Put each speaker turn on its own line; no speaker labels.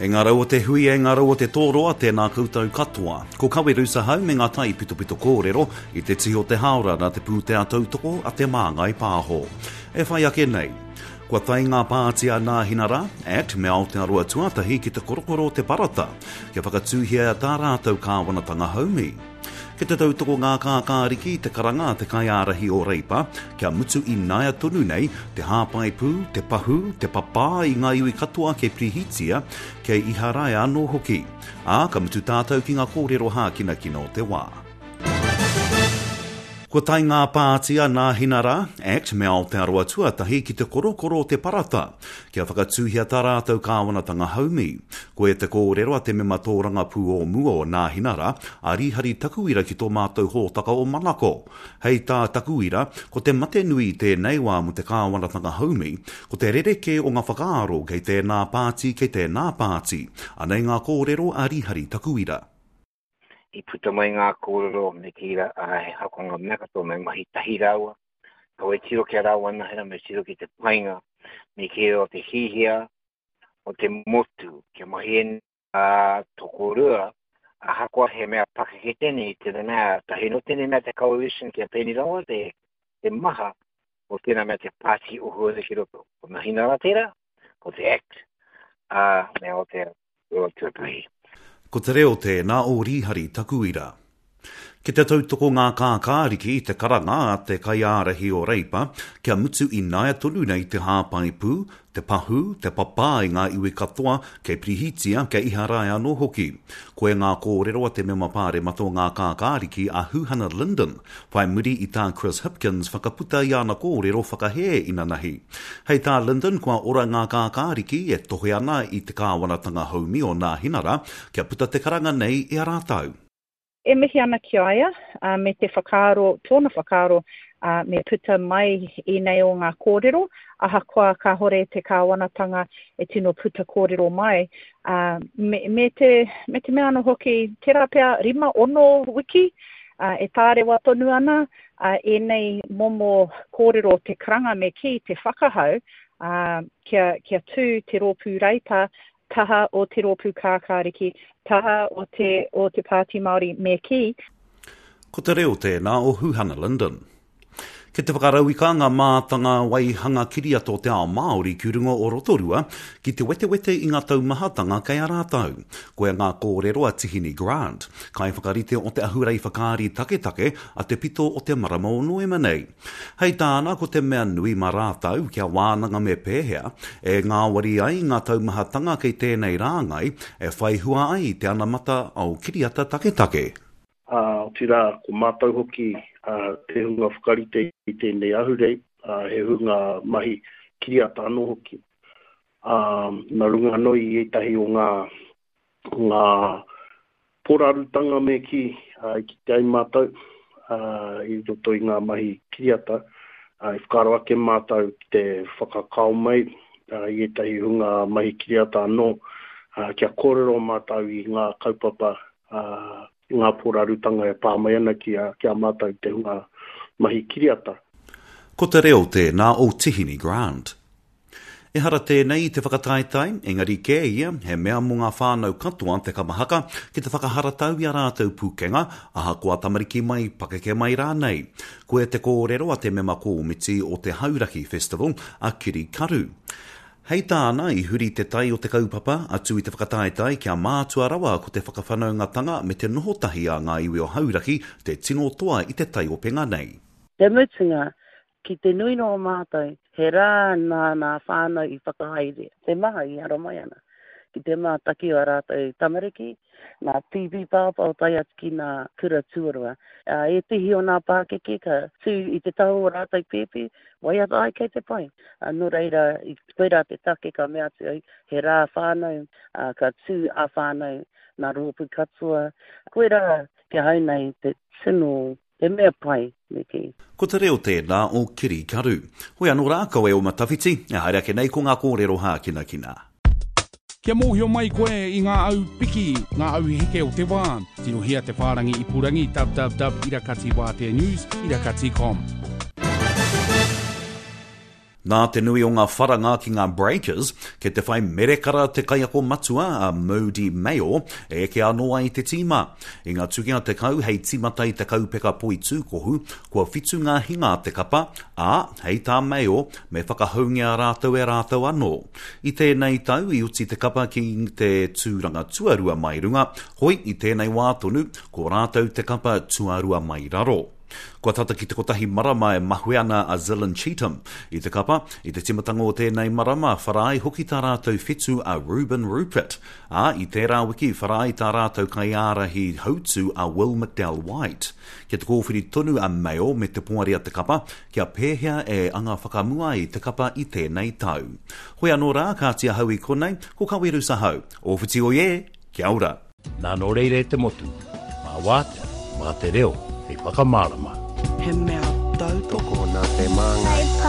E ngā rau o te hui, e ngā rau o te tōroa, tēnā koutou katoa. Ko Kawerus ahau me ngā taipitopito kōrero i te tihi o te hāora nā te pūtea tautoko a Te Māngai Pāho. E whai ake nei. Kua tae ngā pāti a Nāhinara, act, me Aotearoa Tuatahi ki te korokoro o te parata kia whakatūhia tā rātou kāwanatanga haumi. Ki te tautoko ngā kākāriki i te karanga a te kaiārahi o Reipa kia mutu ināia tonu nei te hāpai pū, te pahū, te papā i ngā iwi katoa kei Pirihitia, kei Iharaia anō hoki. Ā, ka mutu tātou ki ngā kōrero hākinakina o te wā. Kua tae ngā pāti a Nāhinara, act, me Aotearoa Tuatahi ki te korokoro o te parata kia whakatūhia tā rātou kāwanatanga haumi. Koia te kōrero a te mema tōrangapū o mua o Nāhinara, a Rīhari Takuira ki tō mātou hōtaka o Manako. Hei tā Takuira, ko te mate nui i tēnei wā mō te kāwanatanga haumi, ko te rerekē o ngā whakaaro kei tēnā pāti, kei tēnā pāti. Anei ngā kōrero a Rīhari Takuira.
I puta mai ngā kōrero me kī rā, ā, he hakonga mea katoa me mahi tahi rāua. Kaua e tiro ki a rāua anahe me tiro ki te painga, me kī o te hihia o te motu kia mahi e ā tokorua, ahakoa he mea pakeke tēnei, te mea tahi no tēnei mea te coalition kia pēnei rawa te, te maha o tēnā mea te pāti ohuere ki roto. Ko Nahinara tērā, ko te Act, ā, me Aotearoa. Tuatahi.
Ko te reo tēnā o Rīhari Takuira. Ki te tautoko ngā kākāriki i te karanga a te kaiārahi o Reipa kia mutu ināia tonu nei te hāpai pū, te pahū, te papā i ngā iwi katoa kei Pirihitia, kei Iharaia anō hoki. Koia ngā kōrero a te mema pāremata o ngā kākāriki a Huhana Lyndon whai muri i tā Chris Hipkins whakaputa i ana kōrero whakahē inanahi. Hei tā Lyndon kua ora ngā kākāriki e tohe ana i te kāwanatanga haumi o Nāhinara kia puta te karanga nei i a rātou.
E mihi ana ki a ia, me te whakaaro, tōna whakaaro, me puta mai ēnei o ngā kōrero, ahakoa kāhore te kāwanatanga e tino puta kōrero mai, me, me te, me te mea anō hoki, tērā pea rima, ono wiki, e tārewa tonu ana, ā, ēnei momo kōrero te karanga me kī, te whakahau, ā, kia, kia tū te rōpū Reipa taha o te rōpū Kākāriki, taha o te, o te Pāti Māori me kī.
Ko te reo tēnā o Huhana Lyndon. Kei te whakarauika ngā mātanga waihanga kiriata o te ao Māori ki runga o Rotorua ki te wetewete i ngā taumahatanga kei a rātou. Koia ngā kōrero a Tihini Grant, kaiwhakarite o te ahurei whakaari taketake a te pito o te marama o Noema nei. Hei tāna ko te mea nui mā rātou kia wānanga me pēhea e ngāwari ai ngā taumahatanga kei tēnei rāngai e whai hua ai te anamata ao kiriata taketake.
Ā, otirā, ko mātou hoki te hunga whakarite i tēnei ahurei, ā, he hunga mahi kiriata anō hoki. Ā, nā runga anō i ētahi o ngā, ngā porarutanga me kī, ā, i kite ai mātou, ā, i roto i ngā mahi kiriata, ā, i whakaaro ake mātou ki te whakakao mai, ā, i ētahi hunga mahi kiriata anō, ā, kia kōrero mātou i ngā kaupapa, ā, i ngā porarutanga e pā mai ana ki a, ki a mātou te hunga mahi kiriata.
Ko te reo tēnā o Tihini Grant. Ehara tēnei i te whakataetae, engari kē ia, he mea mō ngā whānau katoa te kapa haka ki te whakaharatau i a rātou pūkenga, ahakoa tamariki mai, pakeke mai rānei. Koia te kōrero a te mema kōmiti o te Hauraki Festival, a Kiri Karu. Hei tāna, i huri te tai o te kaupapa, atu i te whakataetae kia mātua rawa ko te whakawhanaungatanga me te noho tahi a ngā iwi o Hauraki te tino toa i te taiopenga nei.
Te mutunga, Ki te nui noa mātou, he rā nā nā whānau i whakahaere, te maha i haramai ana ki te mātaki o ā rātou tamariki, nā pīpī pāpā tae atu ki nā kura tuarua. Ā, ētehi o nā pākeke ka tū i te taha o rātou pēpi, waiata ai kei te pai. Ā, nō reira, koirā te take ka mea atu au, he rā whānau, ā, ka tū ā-whānau nā rōpū katoa. Koirā ki ahau nei te tino He mea pai, me kī.
Ko te reo tēnā o Kiri Karu. Hoi anō rā, kaua e oma tawhiti, e haere ake nei ko ngā kōrero hākinakina.
Kia mōhio mai koe i ngā au piki, ngā au heke o te wā, tirohia te whārangi ipurangi www irakatiwāteanews irakati com.
Nā te nui o ngā wharanga ki ngā Breakers, kei te whai merekara te kaiako matua a Moody Mayor e eke anō ai te tīma. I ngā tukinga 10 hei tīmata i te kaupeka poitūkohu, kua whitu ngā hinga a te kapa, ā, hei tā Mayor, me whakahoungia rātou e rātou anō. I tēnei tau i oti te kapa ki te tūranga tuarua mai runga, hoi i tēnei wā tonu, ko rātou te kapa tuarua mai raro. Kua tata ki te kotahi marama e mahue ana a Zylan Cheetham i te kapa. I te timatanga o tēnei marama, whara ai hoki tā rātou whetu a Ruben Rupert, ā, i tērā wiki whara ai tā rātou kaiārahi hautū a Will McDowell-White. Kia te kōwhiri tonu a Mayo me te poari a te kapa kia pēhea e anga whakamua ai te kapa i tēnei tau. Hoi anō rā, kāti ahau i konei, ko Kawerusa hau. Ōwhiti oi e! Kia ora!
Nā nō reira e te motu, mā wātea, mā te reo hei whakamārama.
He mea tautoko.
Nā Te Māngai.